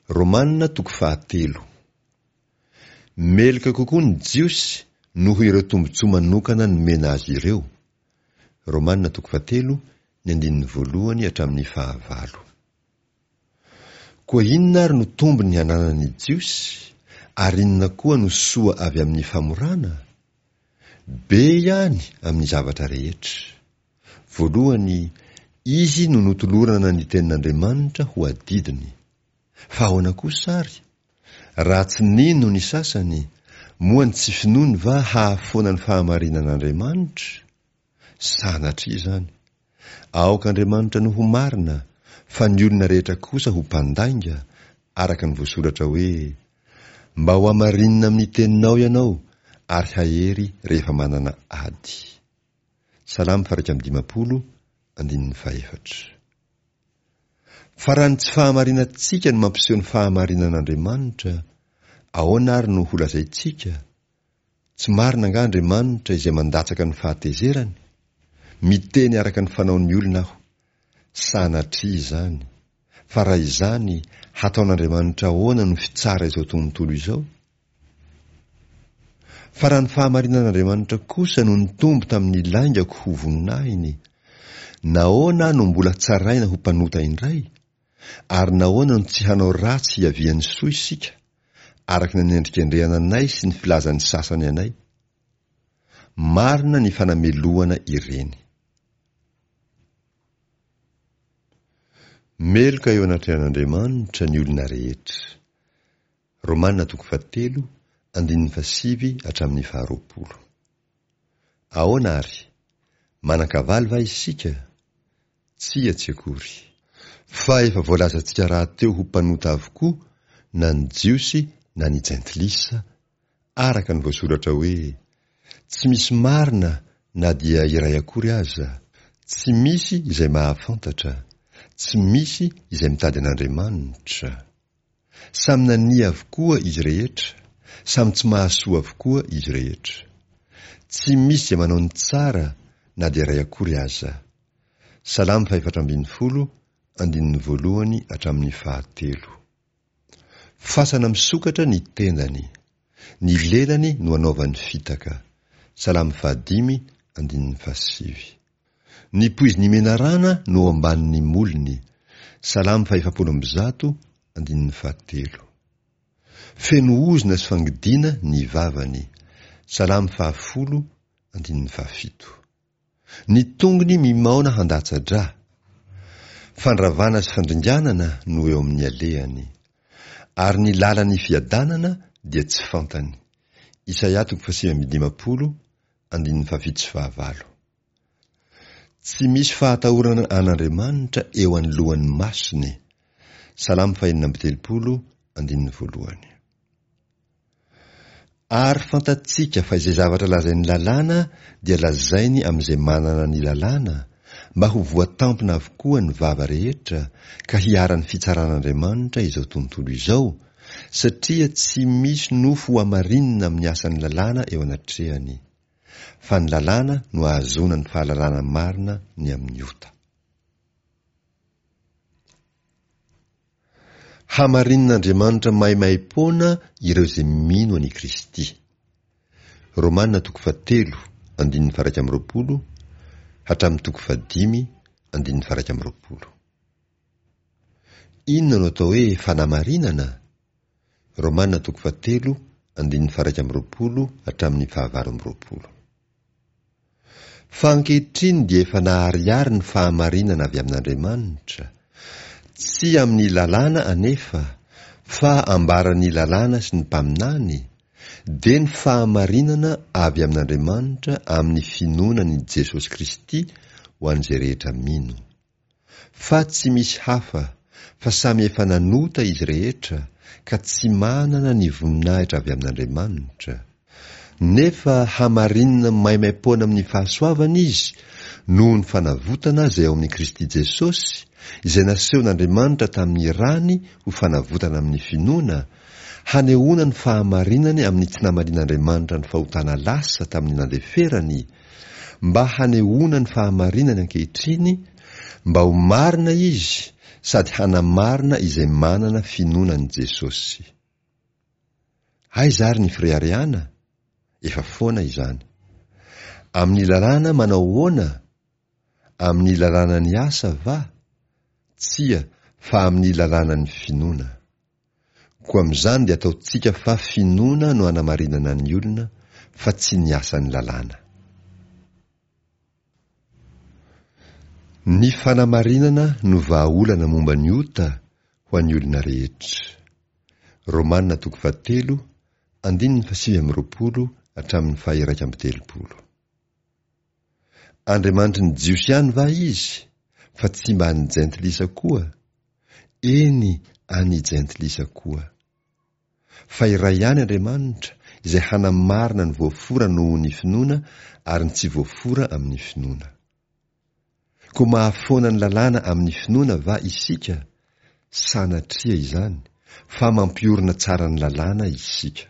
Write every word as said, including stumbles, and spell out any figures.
Romana toko fahatelo. Meloka kokoa ny Jiosy noho ireo tombontsoa manokana nomena azy ireo. Romana toko fahatelo, ny andininy voalohany hatramin'ny fahavalo. Koa inona ary no tombony hananan'ny Jiosy, ary inona koa no soa avy amin'ny famorana? Be ihany amin'ny zavatra rehetra. Voalohany, izy no notolorana ny tenin'Andriamanitra ho adidiny. Fa ahoana kosa ary? Raha tsy nino ny sasany, moa ny tsy finoany va hahafoana ny fahamarinan'Andriamanitra? Sanatria izany. Aoka Andriamanitra no ho marina, fa ny olona rehetra kosa ho mpandainga, araka ny voasoratra hoe: Mba ho hamarinina amin'ny teninao ianao, ary hahery rehefa manana ady. Salamo faha-iraika amby dimampolo, andininy fahefatra. Fa raha ny tsy fahamarinantsika no mampiseho ny fahamarinan'Andriamanitra, ahoana ary no holazaintsika? Tsy marina angaha Andriamanitra izay mandatsaka ny fahatezerany? Miteny araka ny fanaon'ny olona aho. Sanatria izany. Fa raha izany, hataon'Andriamanitra ahoana no fitsara izao tontolo izao? Fa raha ny fahamarinan'Andriamanitra kosa no nitombo tamin'ny laingako ho voninahiny, nahoana aho no mbola tsaraina ho mpanota indray? Ary nahoana no tsy hanao ratsy hiavian'ny soa isika, araka ny anendrikendrehana anay sy ny filazan'ny sasany anay? Marina ny fanamelohana ireny. Meloka eo anatrehan'Andriamanitra ny olona rehetra. Romana toko fahatelo, andininy fahasivy hatramin'ny faharoapolo. Ahoana ary? Manan-kavaly va isika? Tsia, tsy akory. Fa efa voalazantsika rahateo ho mpanota avokoa na ny Jiosy na ny Jentilisa, araka ny voasoratra hoe: Tsy misy marina na dia iray akory aza, tsy misy izay mahafantatra, tsy misy izay mitady an'Andriamanitra. Samy nania avokoa izy rehetra, samy tsy mahasoa avokoa izy rehetra. Tsy misy izay manao ny tsara na dia iray akory aza. Salamo fahefatra ambin'ny folo, andininy voalohany hatramin'ny fahatelo. Fasana misokatra ny tendany. Ny lelany no anaovany fitaka. Salamo fahadimy, andininy fahasivy. Ny poizin'ny menarana no ao ambanin'ny molony. Salamo fahefapolo amby zato, andininy fahatelo. Feno ozona sy fangidiana ny vavany. Salamo fahafolo, andininy fahafito. Ny tongony mimaona handatsa-drà. Fandravana sy fandringanana no eo amin'ny alehany. Ary ny lalan'ny fiadanana dia tsy fantany. Isaia toko fahasivy amby dimampolo, andininy fahafito sy fahavalo. Tsy misy fahatahorana an'Andriamanitra eo anoloan'ny masony. Salamo fahenina amby telopolo, andininy voalohany. Ary fantatsika fa izay zavatra lazain'ny lalàna dia lazainy amin'izay manana ny lalàna, mba ho voatampina avokoa ny vava rehetra ka hiharan'ny fitsaran'Andriamanitra izao tontolo izao, satria tsy misy nofo hohamarinina amin'ny asan'ny lalàna eo anatrehany. Fa ny lalàna no ahazoana ny fahalalana marina ny amin'ny ota. Hamarinin'Andriamanitra maimaim-poana ireo izay mino an'i Kristy. Romana toko fahatelo, andininy faha-iraika amby roapolo hatramin'ny toko fahadimy, andininy faha-iraika amby roapolo. Inona no atao hoe fanamarinana? Romana toko fahatelo, andininy faha-iraika amby roapolo hatramin'ny fahavalo amby roapolo. Fa ankehitriny dia efa naharihary ny fahamarinana avy amin'Andriamanitra, tsy amin'ny lalàna anefa, fa ambaran'ny lalàna sy ny mpaminany, dia ny fahamarinana avy amin'Andriamanitra amin'ny finoana an'i Jesosy Kristy ho an'izay rehetra mino. Fa tsy misy hafa, fa samy efa nanota izy rehetra, ka tsy manana ny voninahitra avy amin'Andriamanitra. Nefa hamarinina maimaimpoana amin'ny fahasoavana izy noho ny fanavotana izay ao amin'i Kristy Jesosy, izay nasehon'Andriamanitra tamin'ny rany ho fanavotana amin'ny finoana, hanehoana ny fahamarinany amin'ny tsy namalian'Andriamanitra ny fahotana lasa tamin'ny nandeferany, mba hanehoana ny fahamarinany ankehitriny, mba ho marina izy sady hanamarina izay manana finoana an'i Jesosy. Aiza ary ny fireharehana? Efa foana izany. Amin'ny lalàna manao ahoana? Amin'ny lalànan'ny asa va? Tsia, fa amin'ny lalànan'ny finoana. Koa amin'izany dia ataontsika fa finoana no anamarinana ny olona, fa tsy ny asan'ny lalàna. Ny fanamarinana no vahaolana momba ny ota ho an'ny olona rehetra. Romana toko fahatelo, andininy fahasivy amby roapolo hatramin'ny faha-iraika amby telopolo. Andriamanitry ny Jiosy ihany va izy, fa tsy mba an'ny Jentilisa koa? Eny, an'ny Jentilisa koa. Fa iray ihany Andriamanitra, izay hanamarina ny voafora noho ny finoana ary ny tsy voafora amin'ny finoana. Koa mahafoana ny lalàna amin'ny finoana va isika? Sanatria izany, fa mampiorina tsara ny lalàna isika.